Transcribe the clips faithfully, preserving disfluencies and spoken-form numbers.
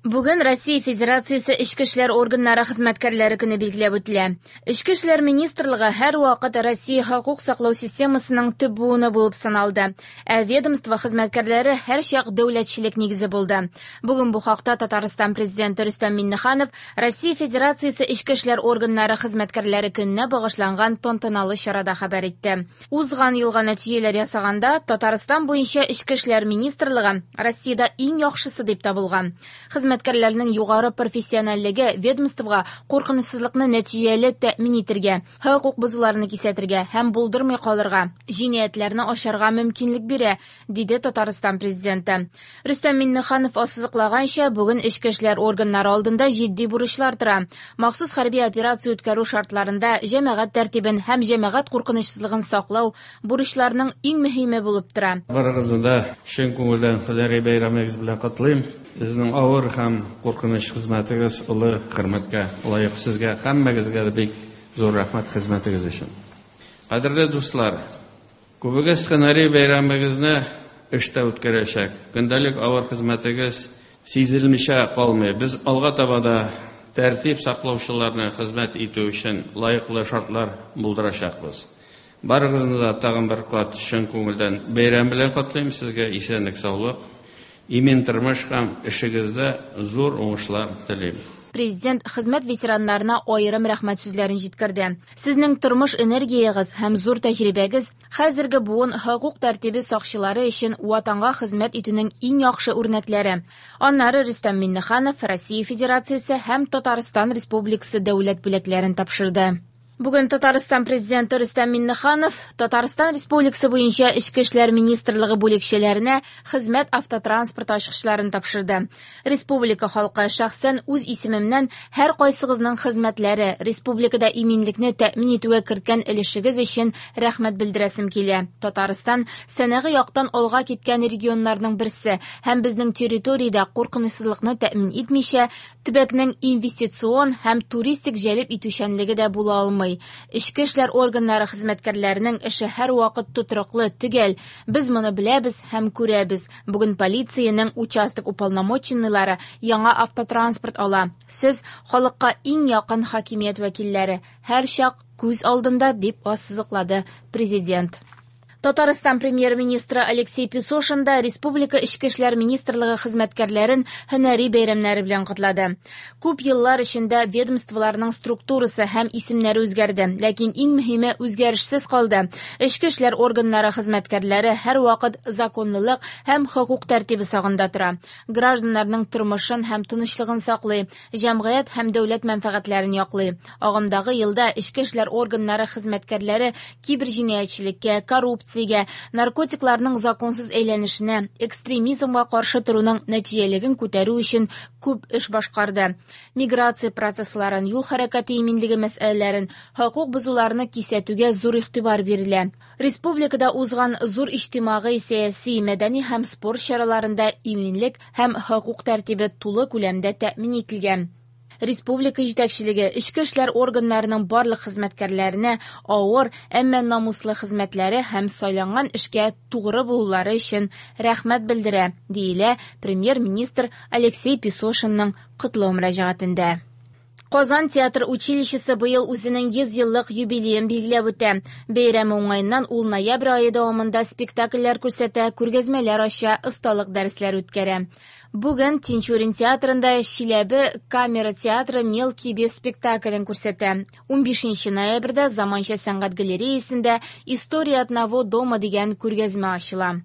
Бүген Россия Федерациясе Эчке эшләр органнары хезмәткәрләре көне билгеләп үтелә. Эчке эшләр министрлыгы һәрвакыт Россия хокук саклау системасының төп буыны булып саналды. Ә ведомство хезмәткәрләре һәрчак дәүләтчелек нигезе булды. Бүген бу хакта Татарстан президенты Рөстәм Миңнеханов Россия Федерациясе Эчке эшләр органнары хезмәткәрләре көненә багышланган тантаналы чарада хәбәр итте. Узган елга нәтиҗәләр ясаганда Татарстан буенча Эчке эшләр министрлыгы Россиядә иң яхшысы дип табылган. Хезмәткәрләрнең югары профессиональлеге ведомствога куркынычсызлыкны нәтиҗәле тәэмин итәргә, хокук бозуларны кисәтергә һәм булдырмый калырга, җинаятьләрне ачарга мөмкинлек бирә, диде Татарстан президенты. Рөстәм Миңнеханов ассызыклаганча, бүген эчке эшләр органнары алдында җитди бурычлар тора. Махсус хәрби операция үткәрү шартларында җәмәгать тәртибен һәм җәмәгать куркынычсызлыгын саклау бурычларның иң мөһиме булып тора. Барыгызны да чын күңелдән һөнәри бәйрәмегез белән котлыйм. Сезнең авыр һәм куркыныч хезмәтегез олы хөрмәткә лаек. Сезгә һәммәгезгә дә бик зур рәхмәт хезмәтегез өчен. Кадерле дуслар, күбегез һөнәри бәйрәмегезне эштә үткәрәчәк. Көндәлек авыр хезмәтегез сизелмичә калмый. Без алга таба да тәртип саклаучыларны хезмәт итү өчен лаеклы шартлар булдырачакбыз. Барыгызны да тагын бер кат чын күңелдән бәйрәм белән котлыйм. Сезгә исәнлек, саулык, имин тормыш һәм эшегездә зур уңышлар телим. Президент хезмәт ветераннарына аерым рәхмәт сүзләрен җиткерде. Сезнең тормыш энергиягез һәм зур тәҗрибәгез хәзерге буын хокук тәртибе сакчылары өчен ватанга хезмәт итүнең иң яхшы үрнәкләре. Аннары Рөстәм Миңнеханов Россия Федерациясе һәм Татарстан Республикасы дәүләт бүләкләрен тапшырды. Бүген Татарстан президенты Рөстәм Миңнеханов Татарстан Республикасы буенча Эчке эшләр министрлыгы бүлекчәләренә хезмәт автотранспорт ачкычларын тапшырды. Республика халкы шәхсән үз исемемнән һәр кайсыгызның хезмәтләре, республикада иминлекне тәэмин итүгә керткән өлешегез өчен рәхмәт белдерәсем килә. Татарстан сәнәгый яктан алга киткән регионнарның берсе һәм безнең территориядә куркынычсызлыкны тәэмин итмичә, төбәкнең инвестицион һәм туристик җәлеп итүчәнлеге дә була алмый. Эчке эшләр органнары хезмәткәрләренең эше һәрвакыт тотрыклы, төгәл. Без моны беләбез һәм күрәбез. Бүген полициянең участок уполномоченныйлары яңа автотранспорт ала. Сез халыкка иң якын хакимият вәкилләре, һәрчак күз алдында, дип ассызыклады президент. Татарстан премьер-министры Алексей Песошин да Республика Эчке эшләр министрлыгы хезмәткәрләрен һөнәри бәйрәмнәре белән котлады. Күп еллар эчендә ведомстволарның структурасы һәм исемнәре үзгәрде, ләкин иң мөһиме үзгәрешсез калды. Эчке эшләр органнары хезмәткәрләре һәрвакыт законлылык һәм хокук тәртибе сагында тора. Гражданнарның тормышын һәм тынычлыгын саклый, җәмгыять һәм дәүләт мәнфәгатьләрен яклый. Агымдагы елда эчке эшләр органнары хезмәткәрләре киберҗинаятьчелеккә, коррупция, наркотикларның законсыз әйләнешенә, экстремизмга каршы торуның нәтиҗәлелеген күтәрү өчен күп эш башкарды. Миграция процессларын, юл хәрәкәте иминлеге мәсьәләләрен, хокук бозуларны кисәтүгә зур игътибар бирелә. Республикада узган зур иҗтимагый, сәяси, мәдәни һәм спорт чараларында иминлек һәм хокук тәртибе тулы күләмдә тәэмин ителгән. Республика җитәкчелеге эчке эшләр органнарының барлык хезмәткәрләренә авыр, әмма намуслы хезмәтләре һәм сайланган эшкә тугры булулары өчен рәхмәт белдерә, диелә премьер-министр Алексей Песошинның котлау мөрәҗәгатендә. Казан театр училищесы быел үзенең йөз еллык юбилеен билгеләп үтә. Бәйрәме уңаеннан ул ноябрь ае дәвамында спектакльләр күрсәтә, күргәзмәләр ача, осталык дәресләре үткәрә. Бүген Тинчурин театрында Чиләбе камера театры Мелкий бес спектаклен күрсәтә. Унбишенче ноябрьдә Заманча сәнгать галереясендә История одного дома дигән күргәзмә ачыла.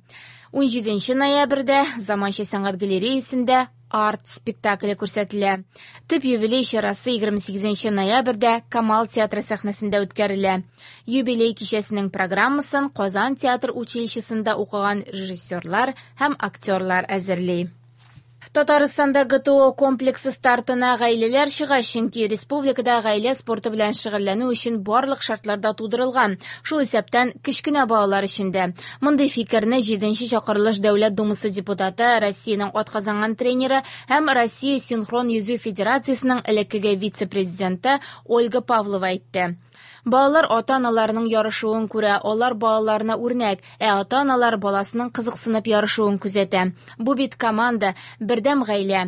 Унҗиденче ноябрьдә Заманча сәнгать галереясендә арт спектакле күрсәтелә. Төп юбилей чарасы егерме сигезенче ноябрьдә Камал театры сәхнәсендә үткәрелә. Юбилей кичәсенең программасын Казан театр училищесында укыган режиссерлар һәм актерлар әзерли. Татарстанда Г Т О комплексы стартына гаиләләр чыга, чөнки республикада гаилә спорты белән шөгыльләнү өчен барлык шартлар да тудырылган, шул исәптән кечкенә балалар өчен дә. Мондый фикерне җиденче чакырылыш Дәүләт Думасы депутаты, Россиянең атказанган тренеры һәм Россия синхрон йөзү федерациясенең элеккеге вице-президенты Ольга Павлова әйтте. Балалар ата-аналарының ярышуын күрә, алар балаларына үрнәк, ә ата-аналар баласының кызыксынып ярышуын күзәтә. Бу бит команда, берлек Бердәм гаилә.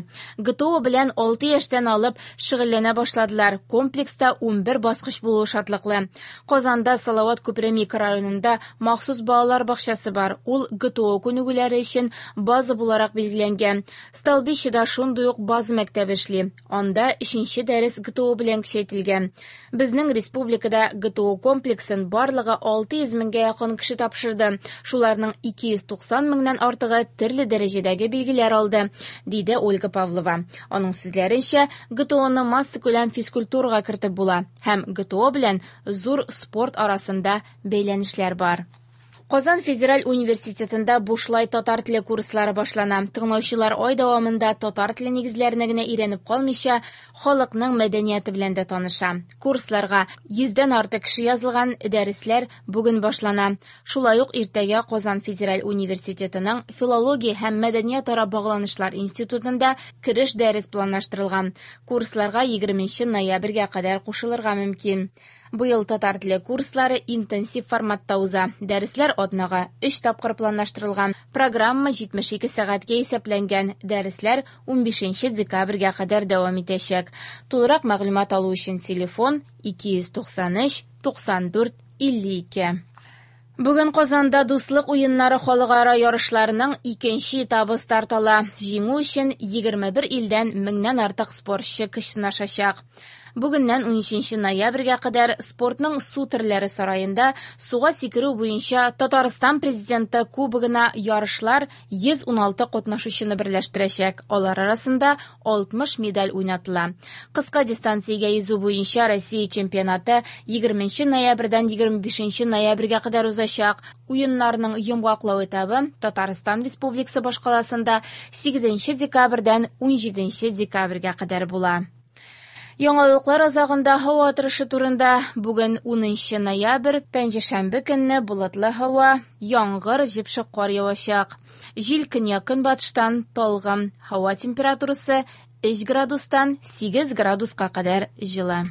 Г Т О белән алты яшьтән алып шөгыльләнә башладылар. Комплекста унбер баскыч булуы шатлыклы. Казанда Салават күпере микрорайонында махсус балалар бакчасы бар. Ул Г Т О күнегүләре өчен база буларак билгеләнгән. Столбищеда шундый ук база мәктәбе эшли. Анда өченче дәрес Г Т О белән көчәйтелгән. Безнең республикада Г Т О комплексын барлыгы алты йөз меңгә якын кеше тапшырды. Шуларның ике йөз туксан меңнән артыгы төрле дәрәҗәдәге билгеләр алды, диде Ольга Павлова. Аның сүзләренчә, Г Т Оны массакүләм физкультурага кертеп була һәм Г Т О белән зур спорт арасында бәйләнешләр бар. Казан федераль университетында бушлай татар теле курслары башлана. Тыңлаучылар ай дәвамында татар теле нигезләренә генә өйрәнеп калмыйча, халыкның мәдәнияте белән дә таныша. Курсларга йөздән артык кеше язылган, дәресләр бүген башлана. Шулай ук иртәгә Казан федераль университетының Филология һәм мәдәниятара багланышлар институтында кереш дәрес планлаштырылган. Курсларга егерменче ноябрьгә кадәр кушылырга мөмкин. Быел татар теле курслары интенсив форматта уза. Дәресләр атнага өч тапкыр планлаштырылган. Программа җитмеш ике сәгатькә исәпләнгән. Дәресләр унбишенче декабрьгә кадәр дәвам итәчәк. Тулырак мәгълүмат алу өчен телефон ике йөз туксан өч туксан дүрт илле ике. Бүген Казанда Дуслык уеннары халыкара ярышларының икенче этабы старт ала. Җиңү өчен егерме бер илдән меңнән артык спортчы көч сынашачак. Бүгеннән унөченче ноябрьгә кадәр спортның су төрләре сараенда суга сикерү буенча Татарстан Президенты кубогына ярышлар йөз уналты катнашучыны берләштерәчәк. Алар арасында алтмыш медаль уйнатыла. Кыска дистанциягә йөзү буенча Россия чемпионаты егерменче ноябрьдән егерме бишенче ноябрьгә кадәр узачак. Уеннарның йомгаклау этабы Татарстан Республикасы башкаласында сигезенче декабрьдән унҗиденче декабрьгә кадәр була. Яңалыклар азагында һава торышы турында. Бүген унынчы ноябрь, пәнҗешәмбе көнне болытлы һава, яңгыр, җепшек кар явачак. Җил көньяк-көнбатыштан талгын. Һава температурасы өч градустан сигез градуска кадәр җылы.